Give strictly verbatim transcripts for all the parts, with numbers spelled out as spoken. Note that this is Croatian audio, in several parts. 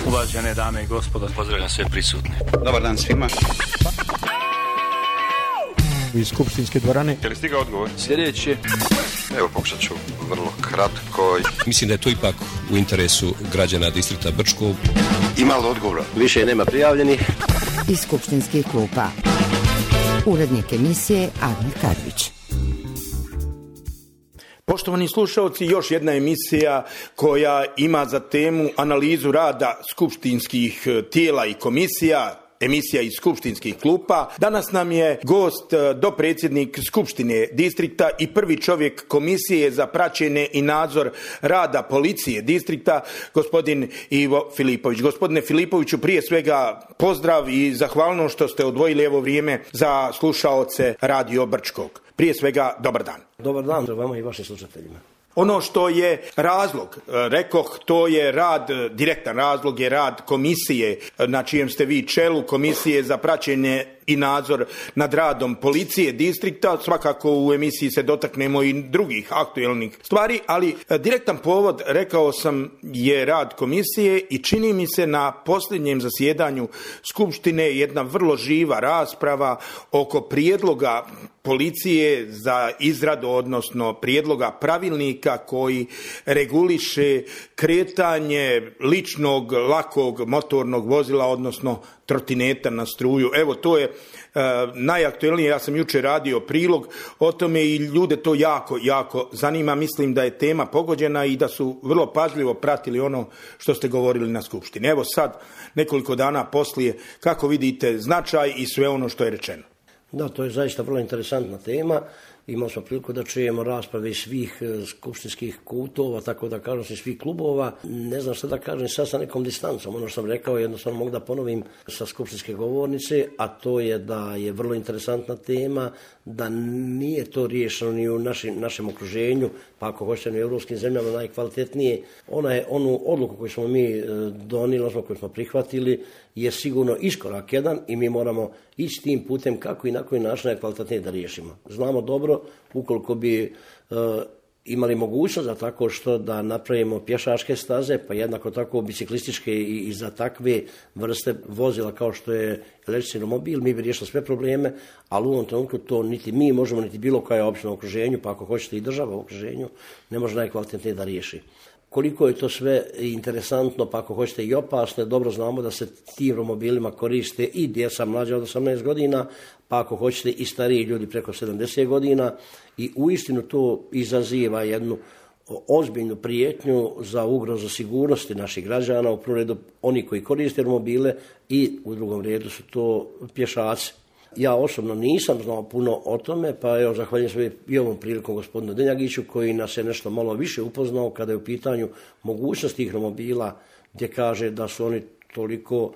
Uvažene dame i gospodo, pozdravljam sve prisutne. Dobar dan svima. Iz skupštinske dvorane. Je li stigao odgovor? Sljedeći. Evo, pokušat ću vrlo kratko. Mislim da je to ipak u interesu građana distrikta Brčko. Ima li odgovora? Više nema prijavljenih. Iz skupštinskih klupa. Urednik emisije Admir Karvić. Poštovani slušalci, još jedna emisija koja ima za temu analizu rada skupštinskih tijela i komisija, emisija iz skupštinskih klupa. Danas nam je gost dopredsjednik Skupštine distrikta i prvi čovjek komisije za praćenje i nadzor rada policije distrikta, gospodin Ivo Filipović. Gospodine Filipoviću, prije svega pozdrav i zahvalno što ste odvojili evo vrijeme za slušaoce Radio Brčkog. Prije svega, dobar dan. Dobar dan vama i vašim slušateljima. Ono što je razlog, rekoh, to je rad, direktan razlog je rad komisije na čijem ste vi čelu, komisije za praćenje i nadzor nad radom policije distrikta. Svakako u emisiji se dotaknemo i drugih aktualnih stvari, ali direktan povod, rekao sam, je rad komisije i čini mi se na posljednjem zasjedanju Skupštine jedna vrlo živa rasprava oko prijedloga policije za izradu, odnosno prijedloga pravilnika koji reguliše kretanje ličnog, lakog motornog vozila, odnosno trotineta na struju. Evo, to je e, najaktualnije. Ja sam jučer radio prilog o tome i ljude to jako, jako zanima. Mislim da je tema pogođena i da su vrlo pažljivo pratili ono što ste govorili na skupštini. Evo sad, nekoliko dana poslije, kako vidite značaj i sve ono što je rečeno? Da, to je zaista vrlo interesantna tema. Imali smo priliku da čujemo rasprave svih skupštinskih kutova, tako da kažem, svih klubova. Ne znam šta da kažem sad sa nekom distancom. Ono što sam rekao, jednostavno mogu da ponovim sa skupštinske govornice, a to je da je vrlo interesantna tema, da nije to riješeno ni u našim, našem okruženju, pa ako hoćete u europskim zemljama najkvalitetnije. Ona je onu odluku koju smo mi donijeli, koju smo prihvatili, je sigurno iskorak jedan i mi moramo ići tim putem kako i na koji način najkvalitetnije da riješimo. Znamo dobro, ukoliko bi e, imali mogućnost za tako što da napravimo pješačke staze, pa jednako tako biciklističke i, i za takve vrste vozila kao što je električni romobil, mi bi riješili sve probleme, ali u ovom trenutku to niti mi možemo, niti bilo koja opština u okruženju, pa ako hoćete i država u okruženju, ne može najkvalitetnije da riješi. Koliko je to sve interesantno, pa ako hoćete i opasno, dobro znamo da se tim romobilima koriste i djeca mlađa od osamnaest godina, pa ako hoćete i stariji ljudi preko sedamdeset godina i uistinu to izaziva jednu ozbiljnu prijetnju za ugrozu sigurnosti naših građana, u prvom redu oni koji koriste romobile i u drugom redu su to pješaci. Ja osobno nisam znao puno o tome, pa evo zahvaljujem se i ovom prilikom gospodinu Denjagiću koji nas je nešto malo više upoznao kada je u pitanju mogućnost tih romobila, gdje kaže da su oni toliko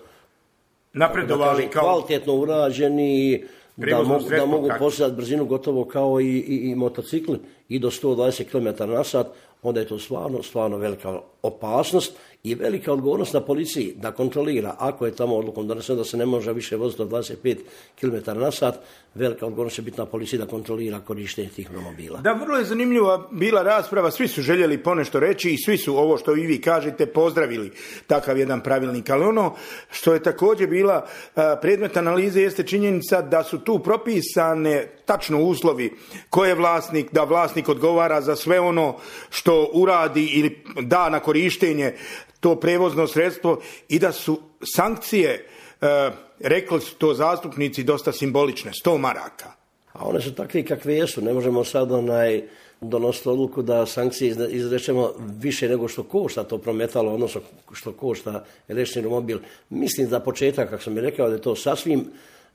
napredovali, kao kvalitetno urađeni, da mogu, da mogu postizati brzinu gotovo kao i, i, i motocikli i do sto dvadeset kilometara na sat, onda je to stvarno, stvarno velika opasnost i velika odgovornost na policiji da kontrolira. Ako je tamo odlukom doneseno da se ne može više voziti od dvadeset pet kilometara na sat, velika odgovornost će biti na policiji da kontrolira korištenje tih romobila. Da, vrlo je zanimljiva bila rasprava, svi su željeli ponešto reći i svi su ovo što i vi kažete pozdravili takav jedan pravilnik, ali ono što je također bila predmet analize jeste činjenica da su tu propisane tačno uslovi ko je vlasnik, da vlasnik odgovara za sve ono što uradi ili da na korištenje to prevozno sredstvo i da su sankcije, e, rekli su to zastupnici, dosta simbolične, sto maraka. A one su takve kakve jesu, ne možemo sad onaj donositi odluku da sankcije izrečemo više nego što košta to prometalo, odnosno što košta električni romobil. Mislim za početak, kako sam mi rekao, da je to sasvim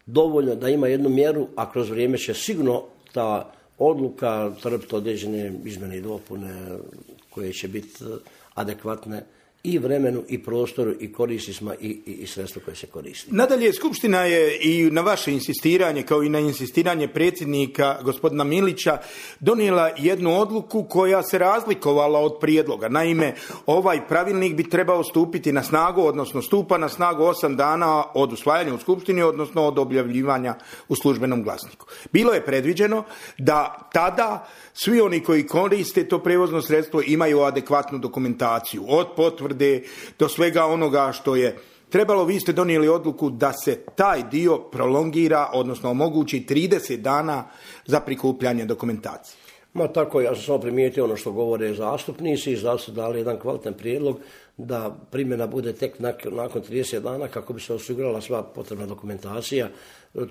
dovoljno da ima jednu mjeru, a kroz vrijeme će sigurno ta odluka trpiti određene izmjene i dopune koje će biti adekvatne i vremenu i prostoru i korisnicima i, i, i sredstvo koje se koristi. Nadalje, Skupština je i na vaše insistiranje, kao i na insistiranje predsjednika gospodina Milića, donijela jednu odluku koja se razlikovala od prijedloga. Naime, ovaj pravilnik bi trebao stupiti na snagu, odnosno stupa na snagu osam dana od usvajanja u Skupštini, odnosno od objavljivanja u službenom glasniku. Bilo je predviđeno da tada svi oni koji koriste to prevozno sredstvo imaju adekvatnu dokumentaciju od potvrde potvrde, do svega onoga što je trebalo. Vi ste donijeli odluku da se taj dio prolongira, odnosno omogući trideset dana za prikupljanje dokumentacije. Ma tako, ja sam samo primijetio ono što govore zastupnici i zato su dali jedan kvalitetan prijedlog da primjena bude tek nakon trideset dana kako bi se osigurala sva potrebna dokumentacija.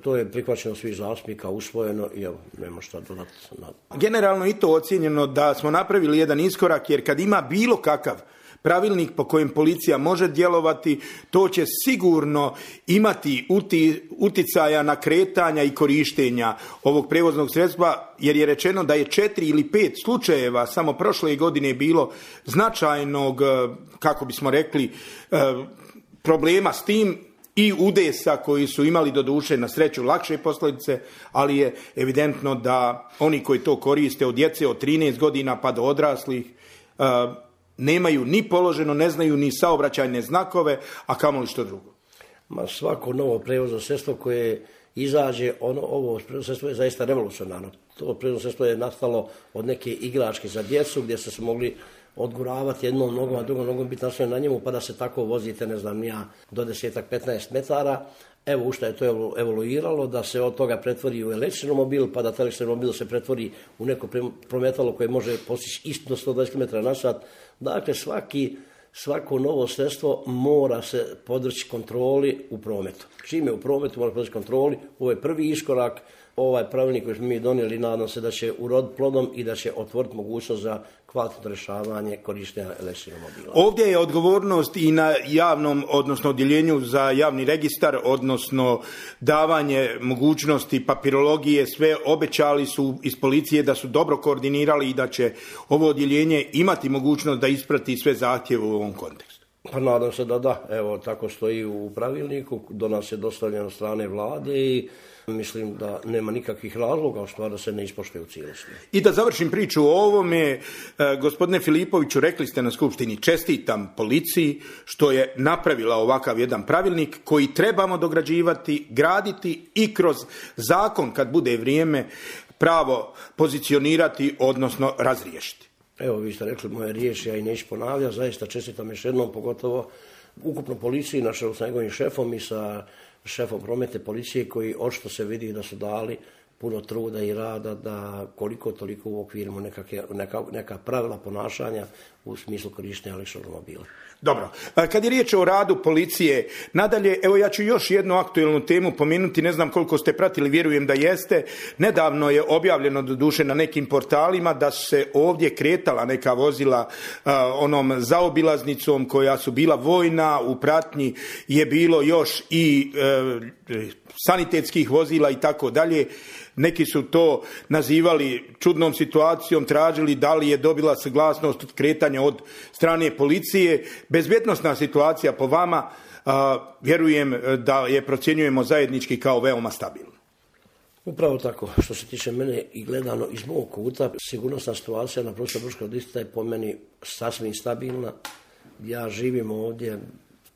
To je prihvaćeno svih zastupnika, usvojeno i evo, nema šta dodati. Generalno i to ocijenjeno da smo napravili jedan iskorak, jer kad ima bilo kakav pravilnik po kojem policija može djelovati, to će sigurno imati uti, uticaja na kretanja i korištenja ovog prevoznog sredstva, jer je rečeno da je četiri ili pet slučajeva samo prošle godine bilo značajnog, kako bismo rekli, problema s tim i udesa koji su imali doduše na sreću lakše posljedice, ali je evidentno da oni koji to koriste od djece od trinaest godina pa do odraslih nemaju ni položeno, ne znaju ni saobraćajne znakove, a kamoli što drugo. Ma svako novo prevozno sredstvo koje izađe, ono, ovo prevozno sredstvo je zaista revolucionarno. To prevozno sredstvo je nastalo od neke igračke za djecu gdje se su mogli odguravati jednom nogom, a drugom nogom biti nastavljeno na njemu, pa da se tako vozite, ne znam ja, do desetak, petnaest metara. Evo u što je to evoluiralo, da se od toga pretvori u električni mobil, pa da taj električni mobil se pretvori u neko prometalo koje može postići isto do sto dvadeset kilometara na sat. Dakle, svaki, svako novo sredstvo mora se podvrći kontroli u prometu. Čim je u prometu, mora podvrći kontroli. Ovo je prvi iskorak. Ovaj pravilnik koji smo mi donijeli, nadam se da će uroditi plodom i da će otvoriti mogućnost za kvalitetno rješavanje korištenja električnog mobila. Ovdje je odgovornost i na javnom, odnosno odjeljenju za javni registar, odnosno davanje mogućnosti papirologije. Sve obećali su iz policije da su dobro koordinirali i da će ovo odjeljenje imati mogućnost da isprati sve zahtjeve u ovom kontekstu. Pa nadam se da da. Evo, tako stoji u pravilniku, do nas je dostavljeno od strane vlade i mislim da nema nikakvih razloga u stvari da se ne ispoštuje u cijelosti. I da završim priču o ovome, e, gospodine Filipoviću, rekli ste na skupštini, čestitam policiji što je napravila ovakav jedan pravilnik koji trebamo dograđivati, graditi i kroz zakon, kad bude vrijeme, pravo pozicionirati, odnosno razriješiti. Evo, vi ste rekli moje riječi, ja i neću ponavljati, zaista čestitam još jednom, pogotovo ukupno policiji, na čelu sa njegovim šefom i sa šefom prometne policije koji očito se vidi da su dali puno truda i rada da koliko toliko uokvirimo neka, neka, neka pravila ponašanja u smislu korištenja električnog mobila. Dobro, kad je riječ o radu policije, nadalje, evo ja ću još jednu aktualnu temu pomenuti, ne znam koliko ste pratili, vjerujem da jeste. Nedavno je objavljeno doduše na nekim portalima da su se ovdje kretala neka vozila uh, onom zaobilaznicom koja su bila vojna, u pratnji je bilo još i uh, sanitetskih vozila i tako dalje. Neki su to nazivali čudnom situacijom, tražili da li je dobila saglasnost od kretanja od strane policije. Bezbjednosna situacija po vama, a, vjerujem da je procjenjujemo zajednički kao veoma stabilna. Upravo tako, što se tiče mene i gledano iz mog kuta, sigurnosna situacija na prostoru Brčkog distrikta je po meni sasvim stabilna. Ja živim ovdje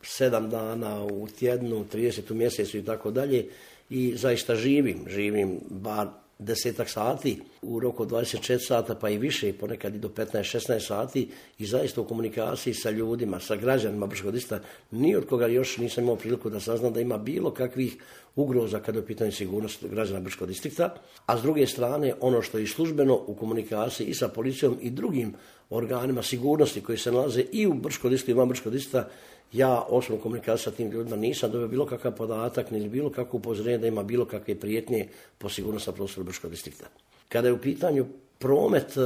sedam dana u tjednu, trideset u mjesecu i tako dalje. I zaista živim, živim bar desetak sati, u roku dvadeset četiri sata pa i više, ponekad i do petnaest šesnaest sati i zaista u komunikaciji sa ljudima, sa građanima Brčkog distrikta, ni od koga još nisam imao priliku da saznam da ima bilo kakvih ugroza kada je u pitanju sigurnost građana Brčkog distrikta, a s druge strane ono što je službeno u komunikaciji i sa policijom i drugim organima sigurnosti koji se nalaze i u Brčkom distriktu i van Brčkog distrikta, ja osobno komunikaciju sa tim ljudima nisam dobio bilo kakav podatak ni bilo kakvo upozorenje da ima bilo kakve prijetnje po sigurnost na prostoru Brčkog distrikta. Kada je u pitanju promet uh,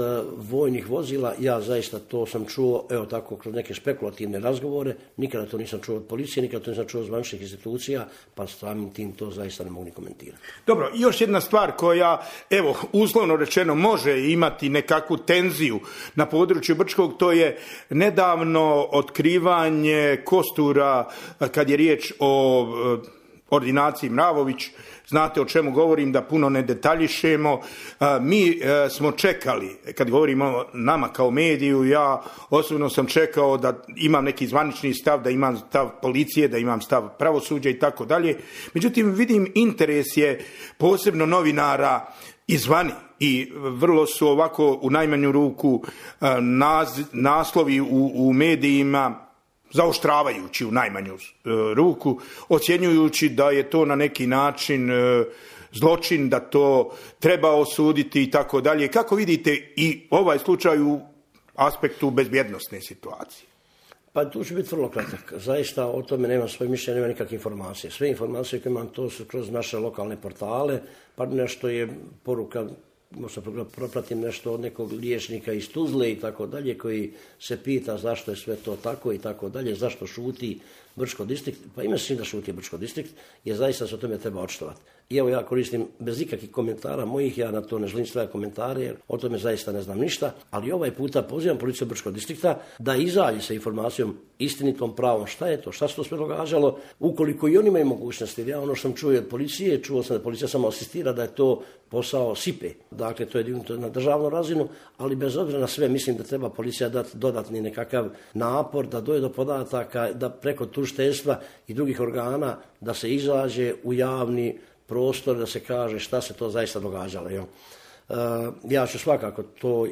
vojnih vozila, ja zaista to sam čuo, evo tako, kroz neke spekulativne razgovore, nikada to nisam čuo od policije, nikada to nisam čuo od zvaničnih institucija, pa samim tim to zaista ne mogu ni komentirati. Dobro, još jedna stvar koja, evo, uslovno rečeno može imati nekakvu tenziju na području Brčkog, to je nedavno otkrivanje kostura kad je riječ o uh, ordinaciji Mravović. Znate o čemu govorim, da puno ne detaljišemo. Mi smo čekali, kad govorimo o nama kao mediju, ja osobno sam čekao da imam neki zvanični stav, da imam stav policije, da imam stav pravosuđa i tako dalje. Međutim, vidim interes je posebno novinara izvani i vrlo su ovako u najmanju ruku naz, naslovi u, u medijima zaoštravajući u najmanju ruku, ocjenjujući da je to na neki način zločin, da to treba osuditi i tako dalje. Kako vidite i ovaj slučaj u aspektu bezbjednosne situacije? Pa tu ću biti vrlo kratak. Zaista o tome nemam svoje mišljenje, nema nikakve informacije. Sve informacije koje imam to su kroz naše lokalne portale, pa nešto je poruka, možda propratim nešto od nekog liječnika iz Tuzle i tako dalje, koji se pita zašto je sve to tako i tako dalje, zašto šuti Brčko distrikt. Pa ima se da šuti Brčko distrikt, jer zaista se o tome treba očitovati. I evo ja koristim bez ikakvih komentara mojih, ja na to ne želim staviti komentare, jer o tome zaista ne znam ništa, ali ovaj puta pozivam policiju Brčkog distrikta da izađe sa informacijom istinitom, pravom, šta je to, šta se to sve događalo, ukoliko i oni imaju mogućnosti. Ja ono što sam čuo od policije, čuo sam da policija samo asistira, da je to posao sipe. Dakle, to je dignuto na državnu razinu, ali bez obzira na sve mislim da treba policija dati dodatni nekakav napor, da dođe do podataka, da preko tužiteljstva i drugih organa da se izađe u javni prostor, da se kaže šta se to zaista događalo. Jel? Uh, ja ću svakako, to,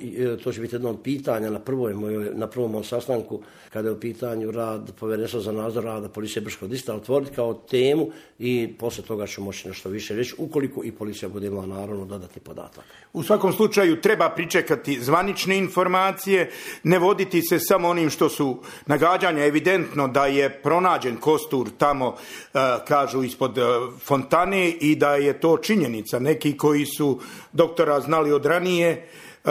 to će biti jedno od pitanja na, prvoj mojoj, na prvom mojom sastanku, kada je u pitanju rad Povjerenstva za nadzor rada policije Brčkog distrikta, otvoriti kao temu i poslije toga ću moći nešto više reći, ukoliko i policija bude imala naravno dodatni podatak. U svakom slučaju treba pričekati zvanične informacije, ne voditi se samo onim što su nagađanja. Evidentno da je pronađen kostur tamo, uh, kažu, ispod uh, fontane i da je to činjenica. Neki koji su doktora znali od ranije, uh,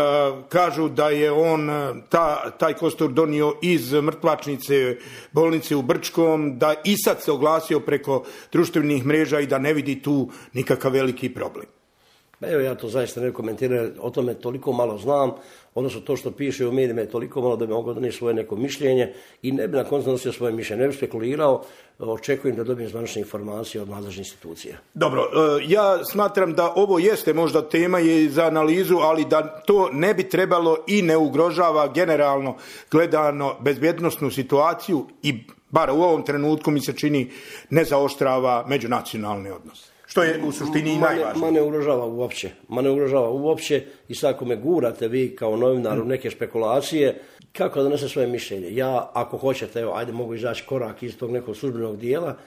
kažu da je on ta, taj kostur donio iz mrtvačnice bolnice u Brčkom, da i sad se oglasio preko društvenih mreža i da ne vidi tu nikakav veliki problem. Evo, ja to zaista ne komentiram, o tome toliko malo znam, odnosno to što piše u medijima je toliko malo da bi mogao donijeti svoje neko mišljenje i ne bi na koncu donosio svoje mišljenje, ne bi spekulirao, očekujem da dobijem zvanične informacije od nadležnih institucija. Dobro, ja smatram da ovo jeste možda tema je za analizu, ali da to ne bi trebalo i ne ugrožava generalno gledano bezbjednosnu situaciju i bar u ovom trenutku mi se čini ne zaoštrava međunacionalne odnose. Što je u suštini i najvažnije. Ma ne ugrožava uopće. Ma ne ugrožava uopće i sad ako me gurate vi kao novinar u neke špekulacije, kako da donese svoje mišljenje? Ja, ako hoćete, evo, ajde mogu izaći korak iz tog nekog službenog dijela,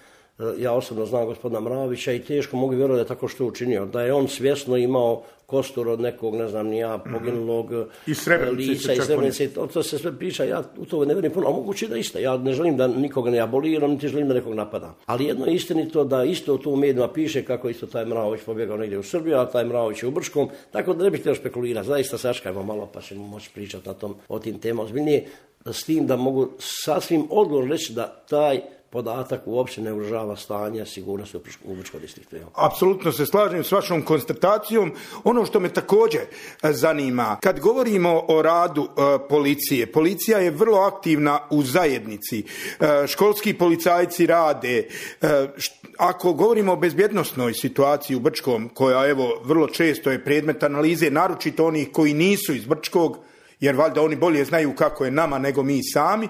ja osobno znam gospodina Mravića i teško mogu vjerovati da je tako što učinio. Da je on svjesno imao kostur od nekog, ne znam, nija poginulog mm-hmm. lica i Srebrenice. To, to se sve priča, ja u to ne vjerujem puno, a moguće da isto. Ja ne želim da nikoga ne aboliram, niti želim da nekog napadam. Ali jedno je istinito da isto tu u medijima piše kako isto taj Mravić pobjegao negdje u Srbiju, a taj Mravić je u Brčkom, tako da ne bih htio špekulirati. Zaista sačkajmo malo pa ćemo moći pričati na tom, o tim temama ozbiljnije, s tim da mogu sasvim odgovorno reći da taj podatak uopće ne ugrožava stanje sigurnosti u Brčkom distriktu. Apsolutno se slažem s vašom konstatacijom. Ono što me također zanima, kad govorimo o radu uh, policije, policija je vrlo aktivna u zajednici. Uh, školski policajci rade. Uh, št, ako govorimo o bezbjednosnoj situaciji u Brčkom, koja evo vrlo često je predmet analize, naročito onih koji nisu iz Brčkog, jer valjda oni bolje znaju kako je nama nego mi sami,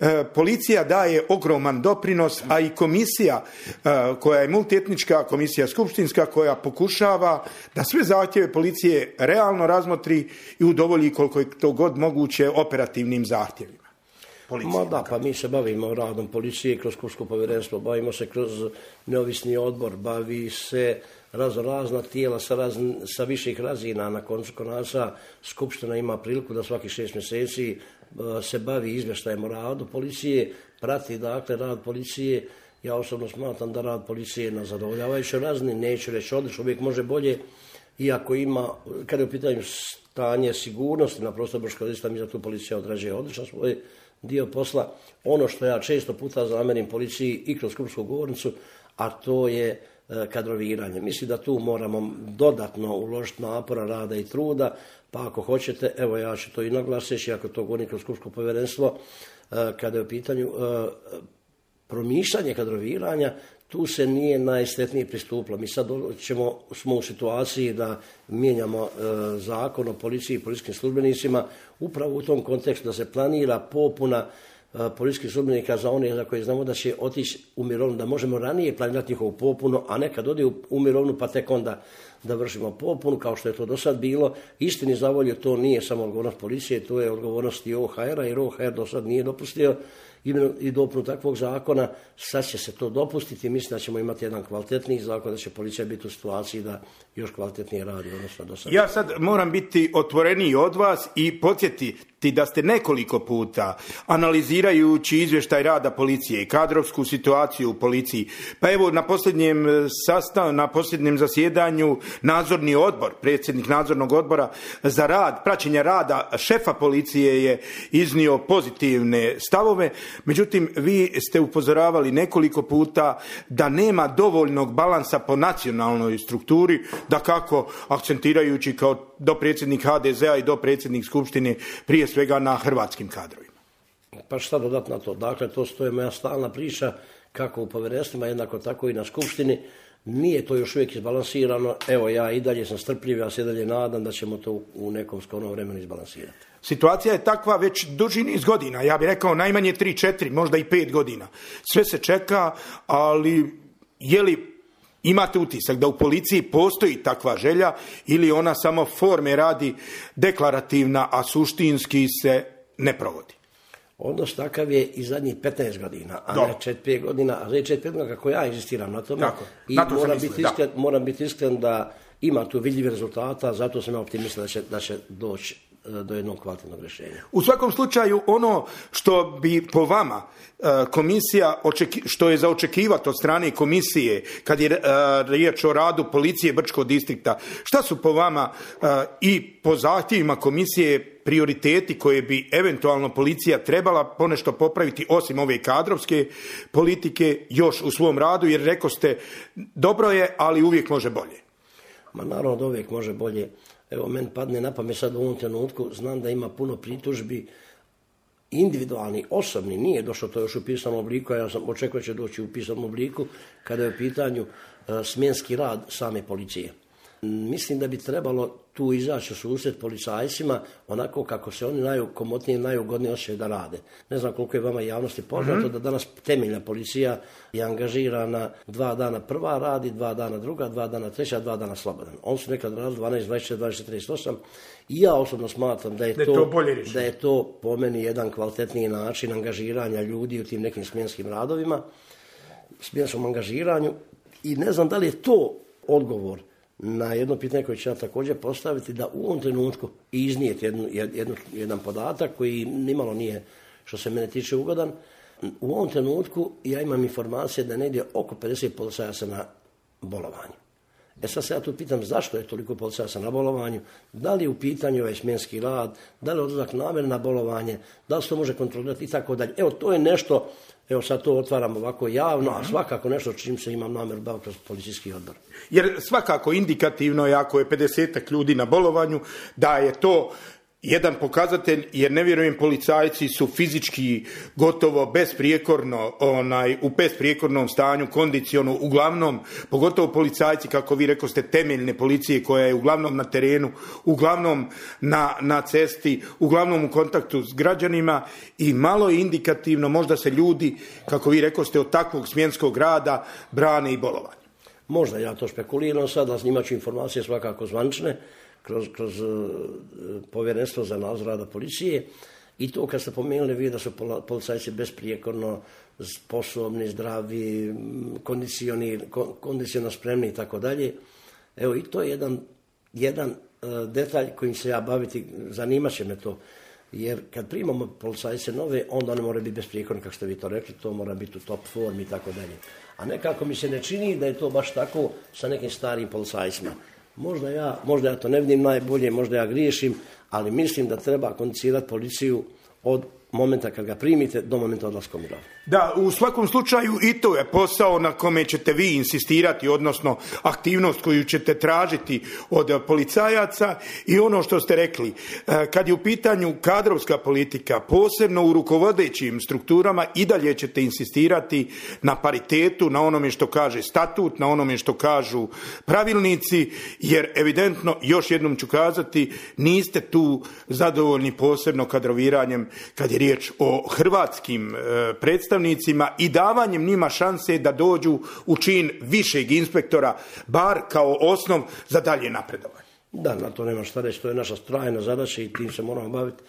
E, policija daje ogroman doprinos, a i komisija e, koja je multietnička, komisija skupštinska, koja pokušava da sve zahtjeve policije realno razmotri i udovolji koliko je to god moguće operativnim zahtjevima. Ma da, pa mi se bavimo radom policije kroz Skupštinsko povjerenstvo, bavimo se kroz neovisni odbor, bavi se razno razna tijela sa, raz, sa viših razina. Na koncu konaca Skupština ima priliku da svaki šest mjeseci se bavi izvještajem o radu policije, prati dakle rad policije. Ja osobno smatram da rad policije na zadovoljavajućoj razini, neću reći odlično, uvijek može bolje, iako ima, kada je u pitanju stanje sigurnosti na prostoru Brčkog distrikta, mi za tu policija odrađuje odlično svoj dio posla. Ono što ja često puta zamerim policiji i kroz skupštinsku govornicu, a to je kadroviranje. Mislim da tu moramo dodatno uložiti napora, rada i truda, pa ako hoćete, evo ja ću to i naglasiti, ako to govorim kroz skupštinsko povjerenstvo, kada je u pitanju promišljanje kadroviranja, tu se nije najsretnije pristupilo. Mi sad ćemo, smo u situaciji da mijenjamo e, zakon o policiji i policijskim službenicima upravo u tom kontekstu da se planira popuna e, policijskih službenika za one za koje znamo da će otići u mirovinu, da možemo ranije planirati njihovu popunu, a ne kad ode u, u mirovinu pa tek onda da vršimo popunu kao što je to do sad bilo. Istini za volju to nije samo odgovornost policije, to je odgovornost i O H R-a jer O H R do sad nije dopustio i dopunu takvog zakona, sad će se to dopustiti i mislim da ćemo imati jedan kvalitetniji zakon, da će policija biti u situaciji da još kvalitetnije radi, odnosno do sada. Ja sad moram biti otvoreniji od vas i podsjetiti da ste nekoliko puta, analizirajući izvještaj rada policije i kadrovsku situaciju u policiji, pa evo na posljednjem sastavu, na posljednjem zasjedanju nadzorni odbor, predsjednik nadzornog odbora za rad, praćenja rada šefa policije je iznio pozitivne stavove, međutim vi ste upozoravali nekoliko puta da nema dovoljnog balansa po nacionalnoj strukturi, da kako akcentirajući kao dopredsjednik ha de zea i dopredsjednik Skupštine prije svega na hrvatskim kadrovima. Pa šta dodati na to? Dakle, to stoje moja stalna priča kako u povjerenstvima, jednako tako i na Skupštini. Nije to još uvijek izbalansirano. Evo, ja i dalje sam strpljiv, ja se dalje nadam da ćemo to u nekom skorom vremenu izbalansirati. Situacija je takva već duži niz godina, ja bih rekao najmanje tri, četiri, možda i pet godina. Sve se čeka, ali je li imate utisak da u policiji postoji takva želja ili ona samo forme radi deklarativna, a suštinski se ne provodi? Odnos takav je i zadnjih petnaest godina, a Do. ne četiri pet godina, a četiri pet godina kako ja inzistiram na tome. Tako, I na to moram, mislim, biti da. iskren, moram biti iskren da ima tu vidljivi rezultata, zato sam ja optimista da će, da će doći do jednog kvalitetnog rješenja. U svakom slučaju ono što bi po vama komisija, što je za očekivati od strane komisije kad je riječ o radu policije Brčkog distrikta, šta su po vama i po zahtjevima komisije prioriteti koje bi eventualno policija trebala ponešto popraviti osim ove kadrovske politike još u svom radu, jer rekao ste dobro je, ali uvijek može bolje. Ma naravno da uvijek može bolje. Evo, meni padne na pamet sad u ovom trenutku, znam da ima puno pritužbi individualni, osobni, nije došlo to još u pisanom obliku, a ja sam očekao će doći u pisanom obliku kada je u pitanju uh, smjenski rad same policije. Mislim da bi trebalo tu izaći u susret policajcima onako kako se oni najkomotnije i najugodnije osjećaju da rade. Ne znam koliko je vama javnosti poznato mm-hmm. da danas temeljna policija je angažirana dva dana prva radi, dva dana druga, dva dana treća, dva dana slobodan. Oni su nekad radili dvanaest, dvadeset četiri, dvadeset četiri, trideset osam i ja osobno smatram da je, da to, to da je to po meni jedan kvalitetniji način angažiranja ljudi u tim nekim smjenskim radovima, smjenskom angažiranju i ne znam da li je to odgovor na jedno pitanje koje ću ja također postaviti, da u ovom trenutku iznijeti jednu, jednu, jedan podatak koji nimalo nije, što se mene tiče, ugodan. U ovom trenutku ja imam informacije da je negdje oko pedeset policajaca na bolovanju. E sad se ja tu pitam zašto je toliko policajaca na bolovanju, da li je u pitanju ovaj smjenski rad, da li je odlazak namjerno na bolovanje, da li se to može kontrolirati i tako dalje. Evo to je nešto, evo sad to otvaram ovako javno, a svakako nešto čim se imam namjer baviti kroz policijski odbor. Jer svakako indikativno je ako je pedesetak ljudi na bolovanju, da je to jedan pokazatelj, jer ne vjerujem policajci su fizički gotovo besprijekorno, onaj, u besprijekornom stanju, kondicionu, uglavnom, pogotovo policajci, kako vi rekao ste, temeljne policije koja je uglavnom na terenu, uglavnom na, na cesti, uglavnom u kontaktu s građanima i malo je indikativno, možda se ljudi, kako vi rekao ste, od takvog smjenskog rada brane i bolovanje. Možda ja to špekuliram sad, ali imat ću informacije svakako zvančne, kroz, kroz uh, povjerenstvo za nadzor rada policije i to kad ste pomenuli vi da su policajci besprijekorno sposobni, zdravi, kondicionalno spremni i tako dalje. Evo i to je jedan, jedan uh, detalj kojim se ja baviti, zanimat će me to. Jer kad primamo policajce nove, onda one moraju biti besprijekorni, kako ste vi to rekli, to mora biti u top formi i tako dalje. A nekako mi se ne čini da je to baš tako sa nekim starijim policajcima. Možda ja, možda ja to ne vidim najbolje, možda ja griješim, ali mislim da treba kondicirati policiju od momenta kad ga primite do momenta odlaska u mirovinu. Da, u svakom slučaju i to je posao na kome ćete vi insistirati, odnosno aktivnost koju ćete tražiti od policajaca i ono što ste rekli, kad je u pitanju kadrovska politika, posebno u rukovodećim strukturama, i dalje ćete insistirati na paritetu, na onome što kaže statut, na onome što kažu pravilnici, jer evidentno, još jednom ću kazati, niste tu zadovoljni posebno kadroviranjem kad je riječ o hrvatskim predstavnicima i davanjem njima šanse da dođu u čin višeg inspektora, bar kao osnov za dalje napredovanje. Da, na to nema šta reći, to je naša trajna zadaća i tim se moramo baviti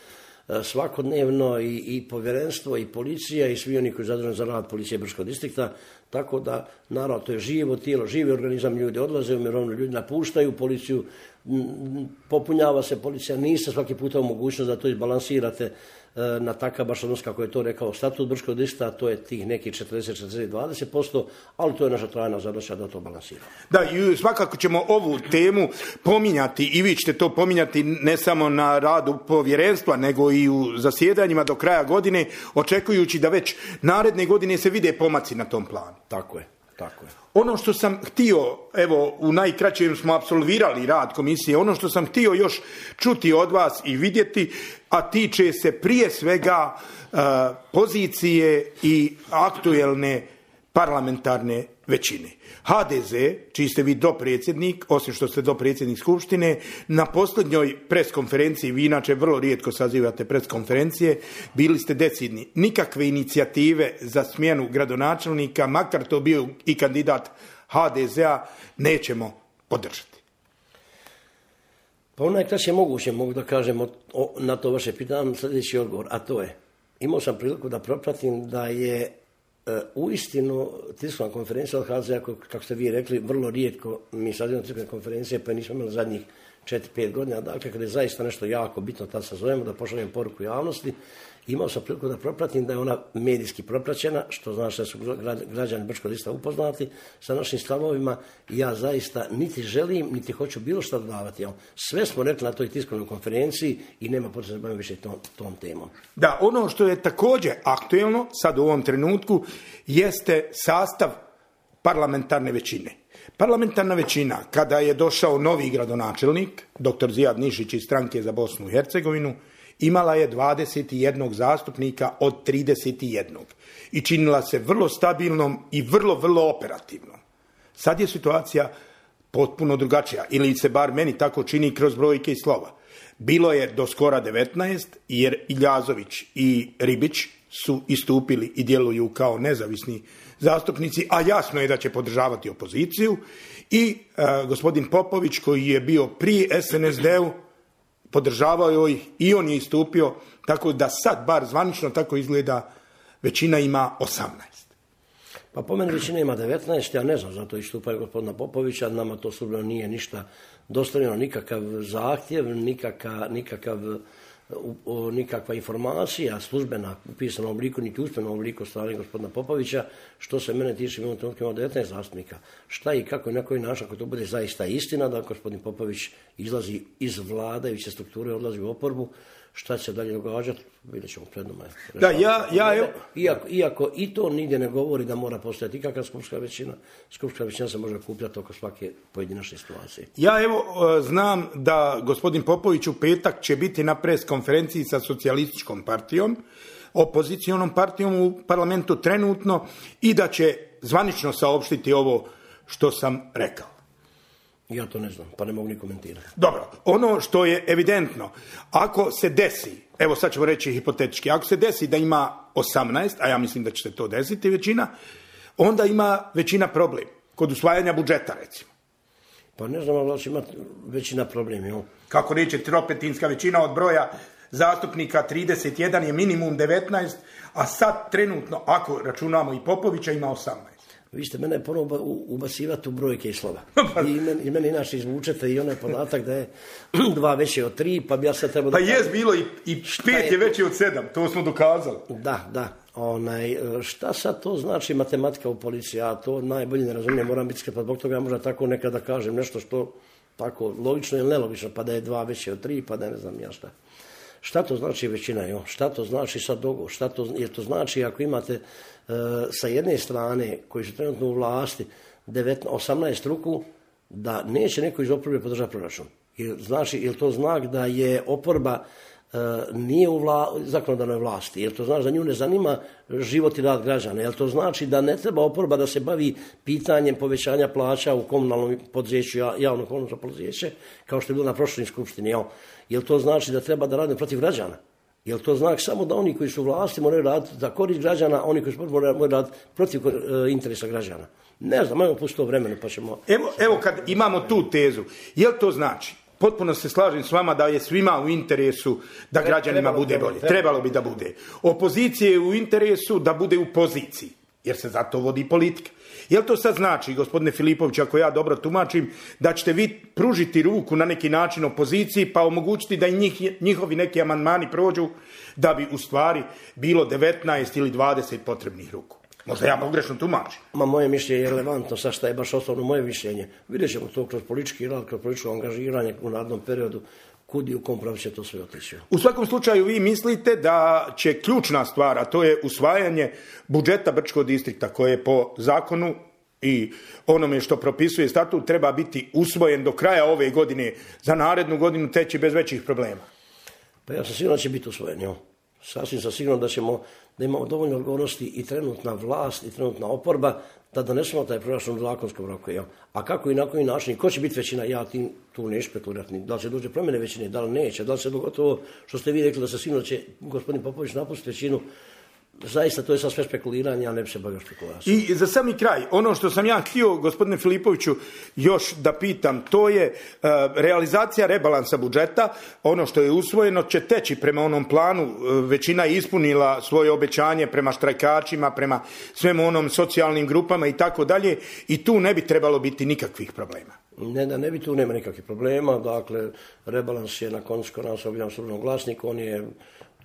svakodnevno i, i povjerenstvo i policija i svi oni koji zaduženi za rad policije Brčkog distrikta, tako da naravno to je živo tijelo, živi organizam, ljudi odlaze u mirovinu, ljudi napuštaju policiju, popunjava se policija, niste svaki puta u mogućnost da to izbalansirate na takav baš odnos kako je to rekao statut Brčkog distrikta, to je tih nekih četrdeset četrdeset dvadeset posto, ali to je naša trajna zadaća da to balansiramo. Da, i svakako ćemo ovu temu pominjati i vi ćete to pominjati ne samo na radu povjerenstva, nego i u zasjedanjima do kraja godine, očekujući da već naredne godine se vide pomaci na tom planu. Tako je. Tako je. Ono što sam htio, evo u najkraćem smo apsolvirali rad komisije, ono što sam htio još čuti od vas i vidjeti, a tiče se prije svega uh, pozicije i aktuelne parlamentarne većine. ha de ze, čiji ste vi dopredsjednik, osim što ste dopredsjednik Skupštine, na posljednjoj preskonferenciji, vi inače vrlo rijetko sazivate preskonferencije, bili ste decidni. Nikakve inicijative za smjenu gradonačelnika, makar to bio i kandidat ha de zea, nećemo podržati. Pa u najkraće moguće mogu da kažem o, o, na to vaše pitanje sljedeći odgovor, a to je, imao sam priliku da propratim da je u istinu tiskovna konferencija od ha de zea, kako ste vi rekli, vrlo rijetko mi sazivamo tiskovne konferencije, pa nismo imali zadnjih četiri pet godina, dakle kada je zaista nešto jako bitno, tad sazovemo da pošaljemo poruku javnosti. Imao sam priliku da propratim da je ona medijski propraćena, što znači da su građani Brčkog distrikta upoznati sa našim stavovima. Ja zaista niti želim, niti hoću bilo što dodavati. Sve smo rekli na toj tiskovnoj konferenciji i nema potrebe da se bavim više tom, tom temom. Da, ono što je također aktuelno sad u ovom trenutku jeste sastav parlamentarne većine. Parlamentarna većina, kada je došao novi gradonačelnik, doktor Zijad Nišić iz Stranke za Bosnu i Hercegovinu, imala je dvadeset jedan zastupnika od trideset jedan i činila se vrlo stabilnom i vrlo, vrlo operativnom. Sad je situacija potpuno drugačija, ili se bar meni tako čini kroz brojke i slova. Bilo je do skora devetnaest, jer Iljazović i Ribić su istupili i djeluju kao nezavisni zastupnici, a jasno je da će podržavati opoziciju, i e, gospodin Popović, koji je bio pri es en es de-u, podržavao ih i on je istupio, tako da sad bar zvanično tako izgleda većina ima osamnaest. Pa po meni većina ima devetnaest, ja ne znam, zato istupaju gospodina Popovića, nama to službeno nije ništa dostavljeno, nikakav zahtjev, nikakav, nikakav, nikakva informacija službena u pisanom obliku, niti usmenom obliku strane gospodina Popovića. Što se mene tiče, imamo trenutku imamo devetnaest zastupnika. Šta i kako i na koji način, ako to bude zaista istina, da gospodin Popović izlazi iz vladajuće strukture, odlazi u oporbu, šta će se dalje događati, vidjet ćemo pred nama. Da, ja, ja, evo... iako, iako i to nigdje ne govori da mora postojati ikakva skupštinska većina, skupštinska većina se može kupljati oko svake pojedinačne situacije. Ja evo znam da gospodin Popović u petak će biti na pres konferenciji sa socijalističkom partijom, opozicijonom partijom u parlamentu trenutno, i da će zvanično saopštiti ovo što sam rekao. Ja to ne znam, pa ne mogu ni komentirati. Dobro, ono što je evidentno, ako se desi, evo sad ćemo reći hipotetički, ako se desi da ima osamnaest, a ja mislim da će se to desiti većina, onda ima većina problem kod usvajanja budžeta, recimo. Pa ne znam, ali će imati većina problem, jel? Kako reći, tropetinska većina od broja zastupnika trideset jedan je minimum devetnaest, a sad trenutno, ako računamo i Popovića, ima osamnaest. Vi ste mene ponovno ubacivati u brojke i slova. I meni, i meni inače izvučete i onaj podatak da je dva veće od tri, pa bi ja sad trebao... Pa jes bilo i, i pet je, je veće od sedam, to smo dokazali. Da, da. Onaj, šta sad to znači matematika u policiji? Ja to najbolje ne razumijem, moram biti skrepan, zbog toga ja možda tako nekada kažem nešto što tako logično ili nelogično, pa da je dva veće od tri, pa da ne znam ja šta. Šta to znači većina? Jo? Šta to znači sad dogovor? Šta to, jer to znači ako imate e, sa jedne strane koji su trenutno u vlasti devetnaest, osamnaest ruku, da neće neko iz oporbe podržati proračun. Jer, znači, je li to znak da je oporba e, nije u vla, zakonodavnoj vlasti? Je li to znači da nju ne zanima život i rad građana? Je li to znači da ne treba oporba da se bavi pitanjem povećanja plaća u komunalnom poduzeću, javno komunalno poduzeće, kao što je bilo na prošloj skupštini? Jel? Jel to znači da treba da rade protiv građana? Jel to znak samo da oni koji su u vlasti moraju raditi za korist građana, a oni koji su moraju raditi protiv e, interesa građana? Ne znam, ajmo pustiti to vremenu pa ćemo... Evo, evo kad imamo tu tezu, jel to znači potpuno se slažem s vama da je svima u interesu da građanima bude bolje. Trebalo bi da bude. Opozicije je u interesu da bude u poziciji, jer se zato vodi politika. Jel to sad znači, gospodine Filipović, ako ja dobro tumačim, da ćete vi pružiti ruku na neki način opoziciji pa omogućiti da i njih, njihovi neki amandmani prođu, da bi u stvari bilo devetnaest ili dvadeset potrebnih ruku? Možda ja pogrešno tumačim. Ma moje mišljenje je relevantno, sad šta je baš osnovno moje mišljenje. Vidjet ćemo to kroz politički rad, kroz političko angažiranje u narednom periodu, kud i u kom pravu će to sve otići. U svakom slučaju vi mislite da će ključna stvar, a to je usvajanje budžeta Brčkog distrikta koje po zakonu i onome što propisuje statut treba biti usvojen do kraja ove godine, za narednu godinu teći bez većih problema. Pa ja sam sigurno da će biti usvojen, jo. Sasvim sam sigurno da ćemo, da imamo dovoljno odgovornosti i trenutna vlast i trenutna oporba da donesemo taj proračun u zakonskom roku. Ja. A kako i na koji način, ko će biti većina, ja ti tu ne špekulirati. Da li će dođe promjene većine, da li neće, da li se dogotovo, što ste vi rekli da se sigurno će gospodin Popović napustiti većinu, zaista to je sad sve spekuliranje, a ne bi se bavio spekulacijom. I za sami kraj, ono što sam ja htio, gospodine Filipoviću, još da pitam, to je uh, realizacija rebalansa budžeta, ono što je usvojeno će teći prema onom planu, uh, većina je ispunila svoje obećanje prema štrajkačima, prema svemu onom socijalnim grupama i tako dalje, i tu ne bi trebalo biti nikakvih problema. Ne, da ne bi tu nema nikakvih problema, dakle, rebalans je na koncu kod nas objavljen u Službenom glasniku, on je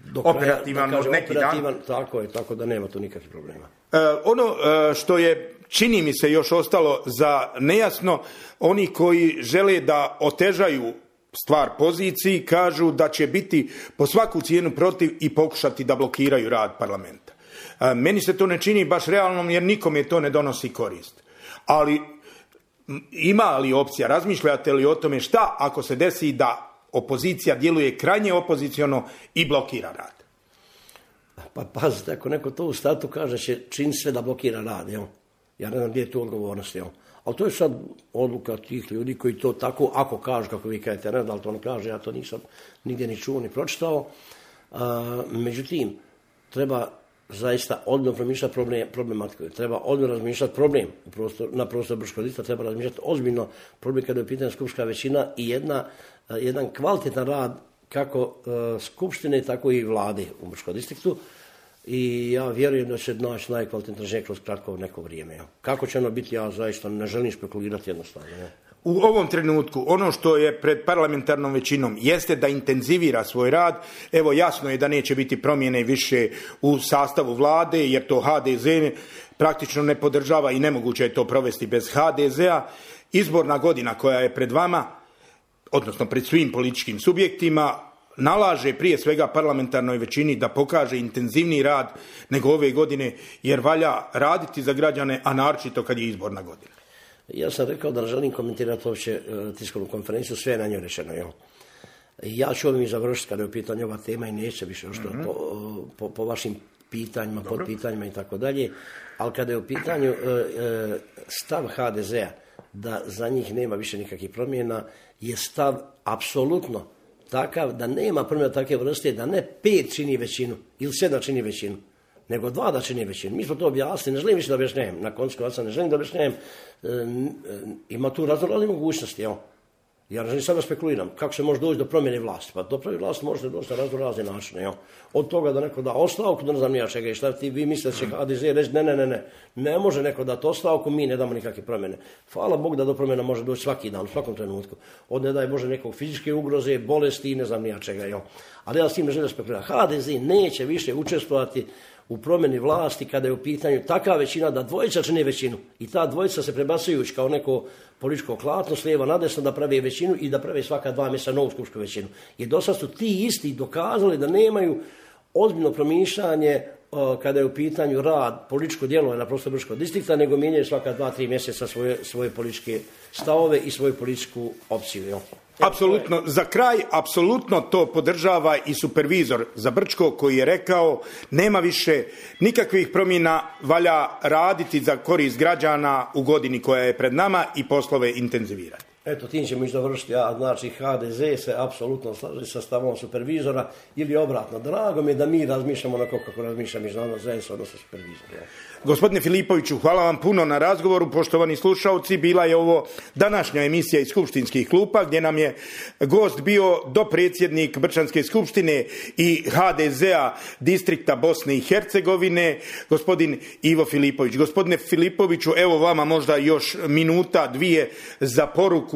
do kraja, operativan, da kažem, neki operativan, dan. tako je, tako da nema tu nikakvih problema. E, ono e, što je, čini mi se, još ostalo za nejasno, oni koji žele da otežaju stvar poziciji, kažu da će biti po svaku cijenu protiv i pokušati da blokiraju rad parlamenta. E, meni se to ne čini baš realnom, jer nikome to ne donosi korist. Ali ima li opcija, razmišljate li o tome šta ako se desi da opozicija djeluje krajnje opoziciono i blokira rad? Pa pazite, ako neko to u startu kaže će čin sve da blokira rad, jel? Ja ne znam gdje je tu odgovornost, jel? Ali to je sad odluka tih ljudi koji to tako, ako kažu, kako vi kažete, ne da li to ne kaže, ja to nisam nigdje ni čuo ni pročitao. A, međutim, treba zaista odmah promišljati problem, problematiku. Treba odmah razmišljati problem u prostor, na prostoru Brčkog distrikta, treba razmišljati ozbiljno problem kada je u pitanju skupštinska većina i jedna, jedan kvalitetan rad kako uh, skupštine, tako i vlade u Brčkom distriktu. I ja vjerujem da će naći najkvalitetnije rješenje kroz kratko neko vrijeme. Ja. Kako će ono biti, ja zaista ne želim spekulirati jednostavno. Ja. U ovom trenutku ono što je pred parlamentarnom većinom jeste da intenzivira svoj rad. Evo, jasno je da neće biti promjene više u sastavu vlade, jer to ha de ze praktično ne podržava i nemoguće je to provesti bez ha de zea. Izborna godina koja je pred vama, odnosno pred svim političkim subjektima, nalaže prije svega parlamentarnoj većini da pokaže intenzivniji rad nego ove godine, jer valja raditi za građane, a naročito kad je izborna godina. Ja sam rekao da ne želim komentirati uopće uh, tiskovnu konferenciju, sve je na njoj rečeno. Jel? Ja ću ovim i završiti kada je u pitanju ova tema i neće više što mm-hmm. po, po, po vašim pitanjima, Dobro. pod pitanjima i tako dalje, ali kada je u pitanju uh, uh, stav ha de zea da za njih nema više nikakvih promjena, je stav apsolutno takav da nema promjena takve vrste, da ne pet čini većinu ili sedam čini većinu, nego dva da čini većinu. Mi smo to objasnili, ne želim više da objašnjavam, na koncu konca ne želim da objašnjavam, e, e, ima tu razne mogućnosti, jel? Ja ne želim sada spekuliram, kako se može doći do promjene vlasti. Pa do promjene vlasti možete doći na razno razne načine, jel? Od toga da neko da ostavku, da ne znam ja čega i šta ti vi mislite da će ha de ze reći, ne, ne, ne, ne, ne može neko dati ostavku, mi ne damo nikakve promjene. Hvala Bog da do promjena može doći svaki dan, u svakom trenutku. Od ne daj Bože nekog fizičke ugroze, bolesti, ne znam ja čega, jel? Ali ja s tim ne želim spekulirati. ha de ze neće više učestvovati u promjeni vlasti kada je u pitanju takva većina da dvojica čine većinu i ta dvojica se prebacujući kao neko političko klatno s lijeva na desno da pravi većinu i da pravi svaka dva mjeseca novu skupsku većinu. Jer do sad su ti isti dokazali da nemaju ozbiljno promišljanje uh, kada je u pitanju rad, političko djelovanje na prostoru Brčkog distrikta, nego mijenjaju svaka dva, tri mjeseca svoje, svoje političke stavove i svoju političku opciju. Jel? Apsolutno, za kraj, apsolutno to podržava i supervizor za Brčko koji je rekao nema više nikakvih promjena, valja raditi za korist građana u godini koja je pred nama i poslove intenzivirati. Eto, tim ćemo ići dovršiti, a znači H D Z se apsolutno slaže sa stavom supervizora ili obratno. Drago mi je da mi razmišljamo onako kako razmišlja međunarodna zajednica, odnosno supervizor. Ja. Gospodine Filipoviću, hvala vam puno na razgovoru. Poštovani slušalci, bila je ovo današnja emisija iz skupštinskih klupa gdje nam je gost bio dopredsjednik Brčanske skupštine i H D Z-a distrikta Bosne i Hercegovine, gospodin Ivo Filipović. Gospodine Filipoviću, evo vama možda još minuta, dvije za poruku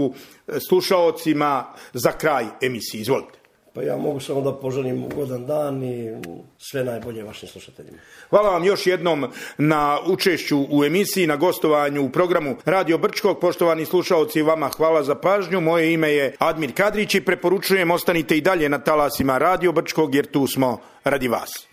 slušaocima za kraj emisije. Izvolite. Pa ja mogu samo da poželim ugodan dan i sve najbolje vašim slušateljima. Hvala vam još jednom na učešću u emisiji, na gostovanju u programu Radio Brčkog. Poštovani slušaoci, vama hvala za pažnju. Moje ime je Admir Kadrić i preporučujem ostanite i dalje na talasima Radio Brčkog jer tu smo radi vas.